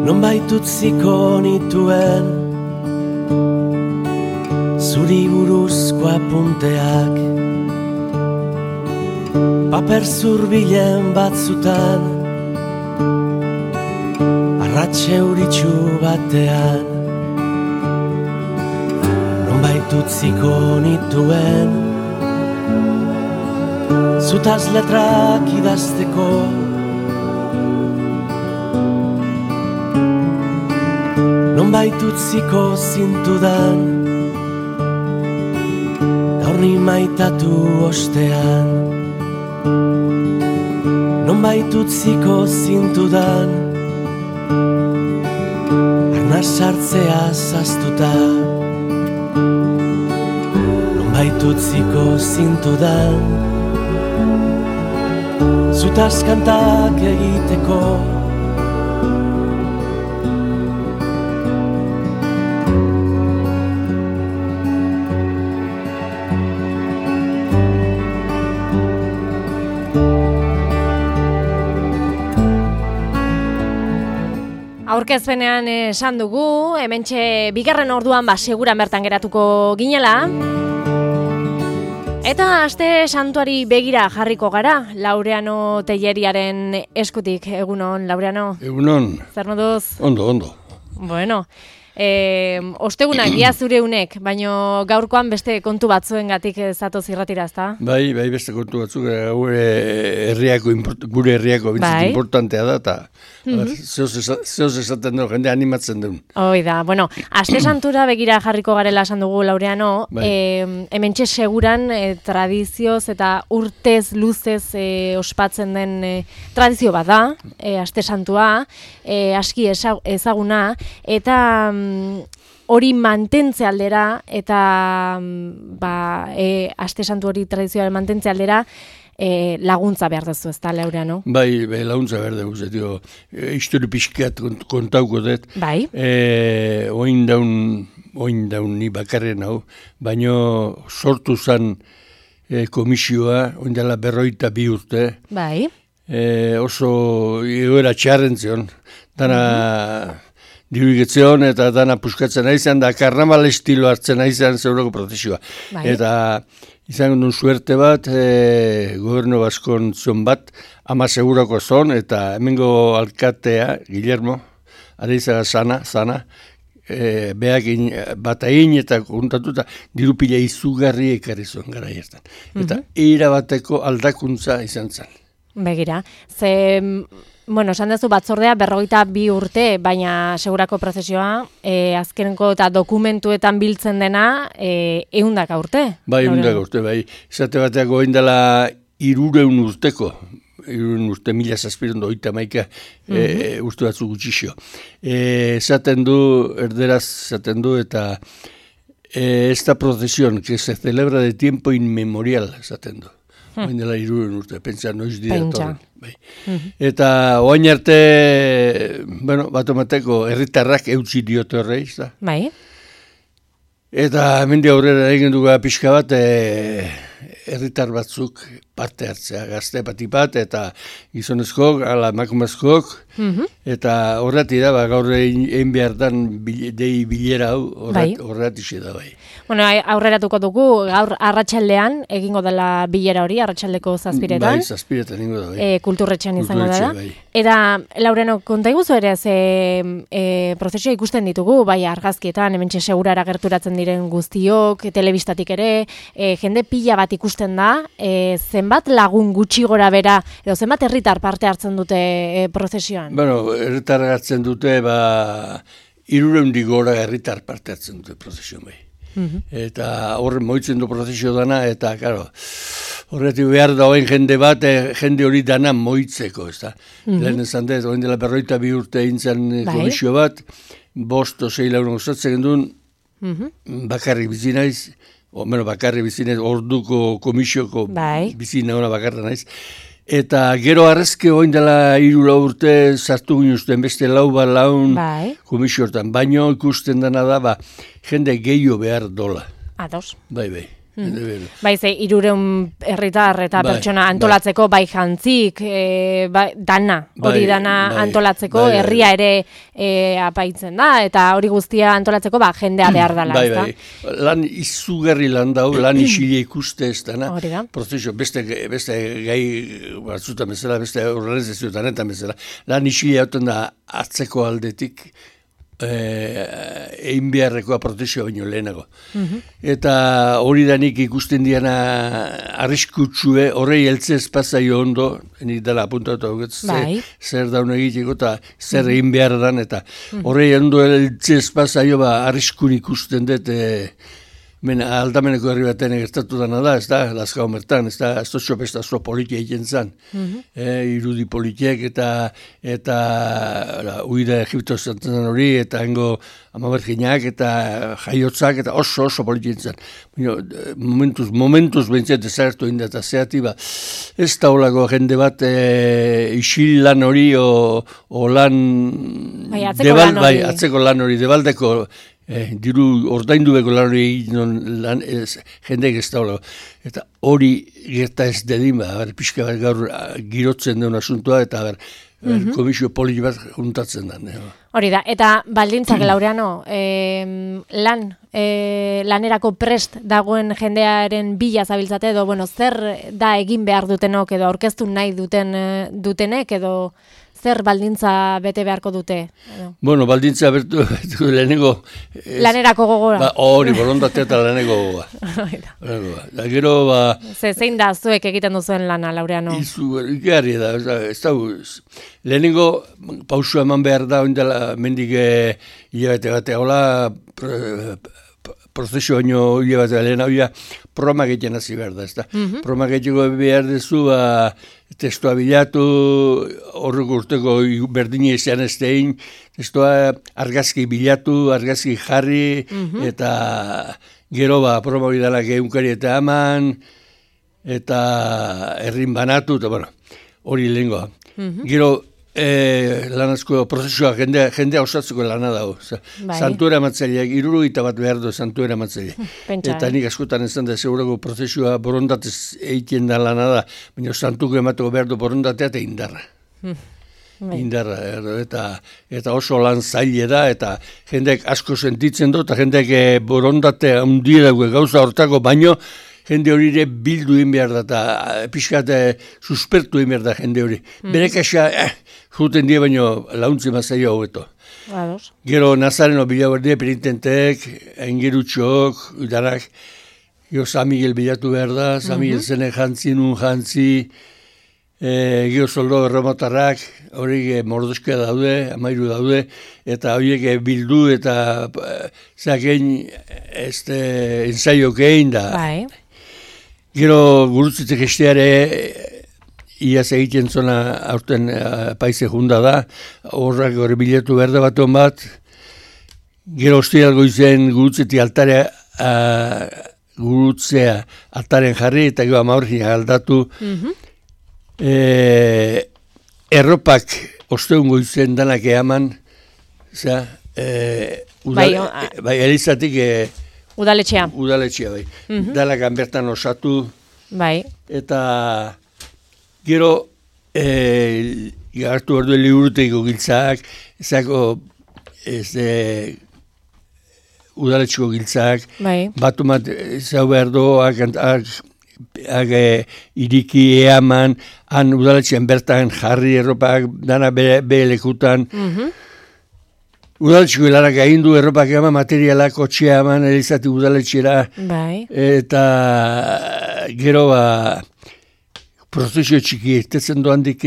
nonbait utziko nituen zuri buruzko apunteak paper zurbilen batzutan arratxe euritxu batean nonbait utziko nituen zutaz letrak idazteko nonbait utziko zintudan gaur ni maitatu ostean nonbait utziko zintudan arnaz sartzea zaztuta nonbait utziko zintudan zutaz kantak egiteko Aurkezpenean esan dugu, hementxe bigarren orduan seguran bertan geratuko ginela. Eta aste santuari begira jarriko gara, Laureano Telleriaren eskutik. Egunon, Laureano? Egunon. Zer moduz? Ondo. Bueno, ostegunak ia zure unek, baino gaurkoan beste kontu batzuengatik zatoz irratira, ezta? Bai, beste kontu batzuk, gure herriako bintzat importantea da, eta zehoz esaten dugu, jende animatzen duen. Hoi da, bueno, aste santura begira jarriko garela esan dugu, Laureano, hementxe seguran tradizioz eta urtez, luzez ospatzen den tradizio bat da, aste santua, aski ezaguna, eta hori mantentze aldera eta aste santu hori tradizioaren mantentze aldera laguntza behar duzu, ezta, Laureano? Bai, laguntza behar duzu, histori pixkat kontauko dut. Bai. Oin daun ni bakarren hau, baino sortu zan komisioa, oin dela 42 urte. Bai. Oso egoera txarren zion, dana dirugetzeon eta dana puskatzen aizan, da karnaval estilo hartzen aizan zeuroko prozesioa. Bai. Eta izan duen suerte bat, gobernu baskon zion bat, ama segurako zon, eta hemengo alkatea, Guillermo, areizaga zana, beak bat egin eta kontatuta dirupila izugarri ekarri zuen gara jertan. Eta erabateko aldakuntza izan zen. Begira, bueno, esan duzu batzordea 42 urte, baina segurako prozesioa, azkeneko eta dokumentuetan biltzen dena, 100 urte. Bai, 100 urte, bai. Esate bateak goin dela 300 urteko, 300 urte, 1780 urte batzu gutxixo. Esaten du, erderaz esaten du, eta esta procesión que se celebra de tiempo inmemorial, esaten du. Oain dela 300 urte, pentsa noiz dira torren. Bai. Eta oain arte, bueno, batomateko herritarrak eutzi diote horreiz da. Bai. Eta hemendik aurrera egin dugu pixka bat, herritar batzuk parte hartzea, gazte bat, eta gizonezkoak, ala emakumezkoak, eta horreti da, gaur egin behar dan dei bilera hau, horreti da bai. Bueno, aurreratuko dugu, gaur arratsaldean egingo dela bilera hori, arratsaldeko 7:00. Bai, 7:00 egingo da, bai. Kulturretxean izango da. Bai. Eta, Laureano, konta iguzu ere, prozesioa ikusten ditugu, bai argazkietan, hementxe segurara gerturatzen diren guztiok, telebistatik ere, jende pila bat ikusten da, zenbat lagun gutxi gora bera, edo zenbat herritar parte hartzen dute prozesioan? Bueno, herritar hartzen dute, 300 gora herritar parte hartzen dute prozesioan bai. Eta horren moitzen du prozesio dana, eta, karo, horretik behar dauen jende bat, jende hori dana moitzeko, ez da. Lehen esan dut, oin dela 42 urte eintzen komisio bat, 5-6 lagun osatzen duen, bakarrik bizi naiz, bakarrik bizi naiz, orduko komisioko bizi nauna bakarra naiz. Eta gero arrezke oin dela 3 urte sartu ginuzten beste laun komisio hortan. Baino ikusten dena da, jende gehiago behar dola. Ados. Bai. Bai, ze 300 herritar eta pertsona antolatzeko, bai jantzik, dana, hori dana antolatzeko, herria ere apaitzen da, eta hori guztia antolatzeko, jendea behar dela, ez da? Bai, lan izugarri lan dau, lan isile ikuste ez dana, prozeso, beste gai batzutan bezala, beste organizazioetan eta bezala, lan isile hauten da atzeko aldetik, egin beharrekoa protezioa baino lehenago. Eta hori da nik ikusten diana arriskutsue, horrei heltze espazaio ondo, nik dela apuntatu zer daun egiteko eta zer egin behar dan, eta horrei ondo heltze espazaio arriskun ikusten dut, aldameneko herri baten gertatu dana da, ez da, Lazkao mertan, ez da, ez dutxo besta zo politia egiten zan. Irudi politiek eta uida Egipto zantzen hori, eta hengo amaberginak eta jaiotzak, eta oso politia egiten zan. Momentuz behintzat ezagertu inda, eta zeati ez da holako jende bat isil lan hori o lan... atzeko lan hori, debaldeko diru ordaindu beko lan hori jendeek ez da. Eta hori gerta ez dedin, pixka bat gaur girotzen den asuntoa, eta komisio politi bat juntatzen den. Hori da, eta baldintzak Laureano, lanerako prest dagoen jendearen bila zabiltzate, edo, zer da egin behar dutenok, edo aurkeztu nahi dutenek, edo zer baldintza bete beharko dute? Bueno, baldintza bertu lehenengo... Lanerako gogora. Hori, borondatea eta laneko gogora. Da gero, zein da zuek egiten duzuen lana, Laureano? Ikarri da, ez da, lehenengo pausua eman behar da, oindela mendik hilabete batea, hola, prozesio baino hilabete lehen hau promak egiten hasi behar da, ez da. Promak egiteko behar dezu, testua bilatu, horrek urteko berdine izan ez dein, testua argazki bilatu, argazki jarri, eta gero proma bidalak egunkari eta aman, eta errin banatu, eta hori lehengoa. Gero, lanazko prozesioa jendea osatzeko lana dago. Santuera matzaileak, 71 behar du santuera matzaileak. Eta nik askotan ezan da segurako prozesioa borondatez egiten da lana da, baina santuko emateko behar du borondatea eta indarra. Indarra, eta oso lan zaile da, eta jendeak asko sentitzen du, eta jendeak borondatea handia gauza hortako, baino jende hori ere bildu egin behar da, eta pixkat suspertu egin behar da jende hori. Berekaxa, juten die baino launtzi mazaio hobeto. Gero Nazareno bilaberdie penitenteek, engerutxok, udarak, gero San Miguel bilatu behar da, San Miguel zene jantzi, nun jantzi, gero soldo erromotarrak, horiek mordoskia daude, 13 daude, eta horiek bildu eta zakein ensaiok egin da. Gero gurutzitek esteare iaz egiten zona aurten paize junda da, horrak hori bilatu behar da baton bat, gero ostialgo izen gurutzeti altarea, gurutzea altaren jarri, eta gero amaurri aldatu, erropak osteungo izen danak eaman, elizatik Udaletxea. Udaletxea, bai. Dalakan bertan osatu. Bai. Eta gero, hartu behar du liburuteiko giltzak, ezako udaletxeko giltzak, batu bat zau behar du, iriki eaman, han udaletxean bertan jarri erropak, dana bere lekutan, udaletxeko helarak egin du erropak eman, materialak kotxea eman, elizati udaletxera. Eta gero prozesio txiki, tetzen doandik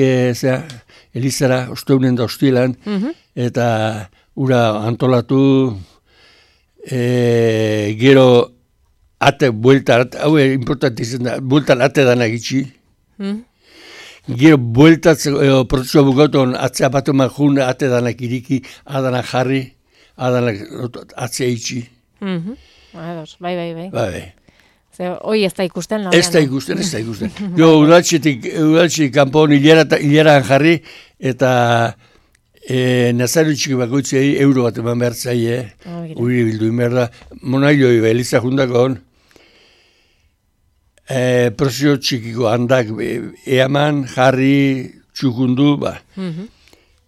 elizara, osteunen da hostilan, eta ura antolatu, gero ate, bueltan, hau importantizan da, bueltan ate danak itxi. Gero bueltatzeko prozesua bukauton atzea batu jun ate danak iriki, adanak jarri, adanak atzea itxi. Bai. Hoi ez da ikusten? Ez da ikusten. Jo, udaletxetik kanpon hileran jarri, eta Nazario txiki bakoitzei euro bat eman behar zaie, uri bildu inberda, monailoi eliza jundako hon. prozio txikiko handak eaman, jarri, txukundu,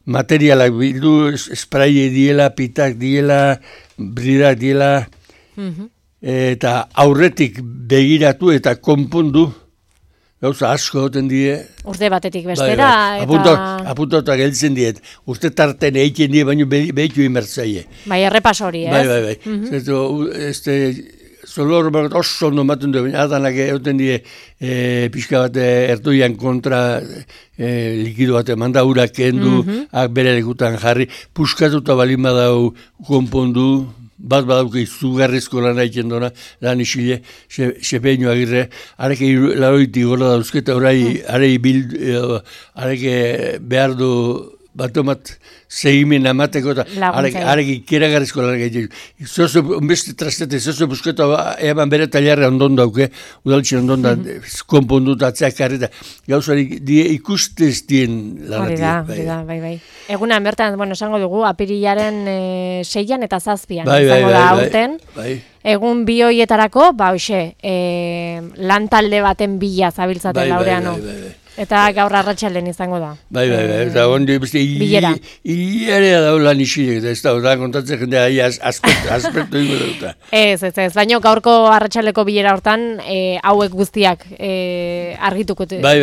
materialak bildu, spraye diela, pitak diela, bridak diela, eta aurretik begiratu eta konpondu, gauza asko goten die. Urte batetik bestera. Apuntauta geltzen diet. Urte tarten egiten die, baina behitu imertzaile. Bai, errepas hori, ez? Bai. Zolor oso ondo maten du, baina adanak egoten die pixka bat erdoian kontra likido bat manda urak kendu, bere lekutan jarri, puskatuta balin badau konpondu, bat badauke izugarrizko lan egiten dona, lan isile, Sepeño Agirre, areke laroitik gora dauzketa, areke behar du batomat segimen amateko eta arek ikeragarrizko lan egiten. Zozo, beste trastete, zozo busketa eman bere taliarra ondon dauke, udaltxe ondon da, konpondu eta atzeak karreta. Gauzari ikustez dien lanatik. Bai. Egunan bertan, esango dugu, apirilaren 6an eta 7an izango da aurten. Egun bi hoietarako, lan talde baten bila zabiltzate Laureano. Eta gaur arratsalden izango da. Bai, eta ondi beste hilarea daula nixilek, eta ez da kontatzen jendea aspektu ingo dauta. Ez, baina gaurko arratsaldeko bilera hortan hauek guztiak argituko dituzue. Bai,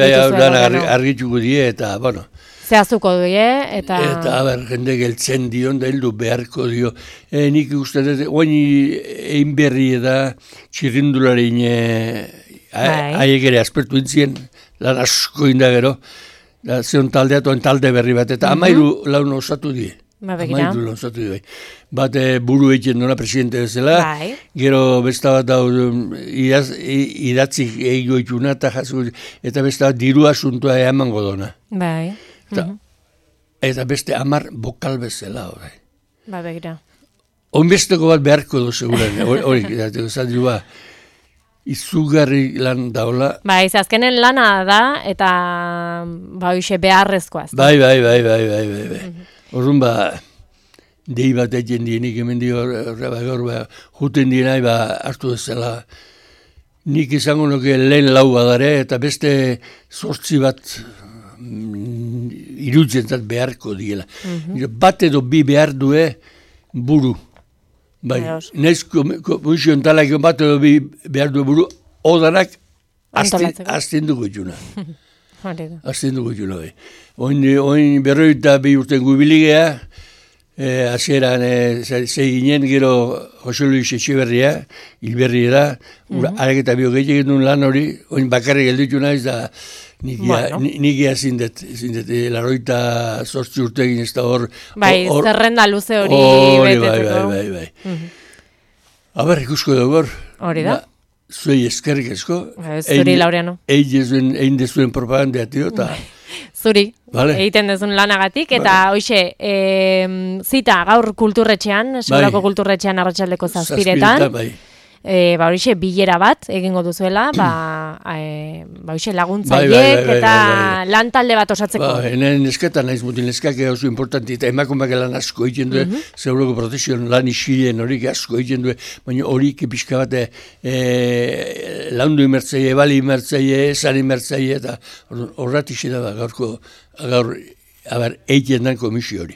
argituko die, eta, zehaztuko die, eta... Eta, jende geltzen dion, da heldu beharko dio. Nik uste dut, oain egin berri da, txirrindularein haiek ere aspertu intzien, lan asko indagero, da zion taldeatoen talde berri bat, eta amairu laun osatu die. Amairu laun osatu die. Bat buru egiten duna presidente bezala, gero besta bat dau idatzik egigo ituna, eta besta bat diru asuntua emango dona. Eta beste 10 bokal bezala. Begira. Onbesteko bat beharko du, seguran, hori, zadiru izugarri lan daula. Azkenen lana da, eta hoxe beharrezkoa. Bai. Horren dei bat egin dienik, hemen juten dienai hartu ezela. Nik izango nuke lehen lau badare, eta beste 8 bat irudzentzat beharko diela. Bat edo bi behar due buru. Bai, naiz komisioen talak bat edo bi behar du buru, odanak azten dugu ituna. Azten dugu ituna, bai. Oin berroita bi urten gubiligea, hasieran zeginen gero Jose Luis Etxeberria, hilberri da, arek eta bio gehiagin duen lan hori, oin bakarrik gelditu naiz da, nikia zindet, laroita 8 urtegin ez da hor... zerrenda luze hori betetzeko. Bai. Aber, ikusko dugu hor. Hori da? Zuei eskerrik esko. Zuri, Laureano. Egin dezuen propagandea, tio, eta... Zuri, egiten dezun lanagatik, eta hoxe, zita gaur kulturretxean, Segurako kulturretxean arratsaldeko 7:00. Bai. Horixe, bilera bat egingo duzuela, horixe laguntzaiek eta lan talde bat osatzeko. Henen nesketan naiz mutin neskak oso importanti, eta emakumeak lan asko egiten du, Segurako protesion lan isilen horik asko egiten du, baina horik pixka bat laundu imertzaile, bali imertzaile, esan imertzaile, eta horratixe da gaur egiten dan komisio hori.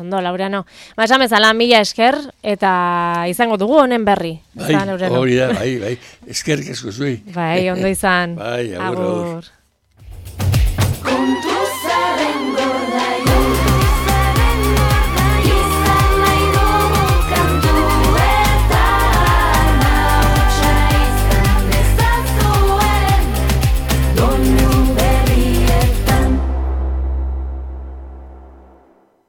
Ondo, Laureano. Esan bezala, 1000 esker, eta izango dugu honen berri. Bai, hori da, bai. Eskerrik asko zui. Bai, ondo izan. Bai, agur.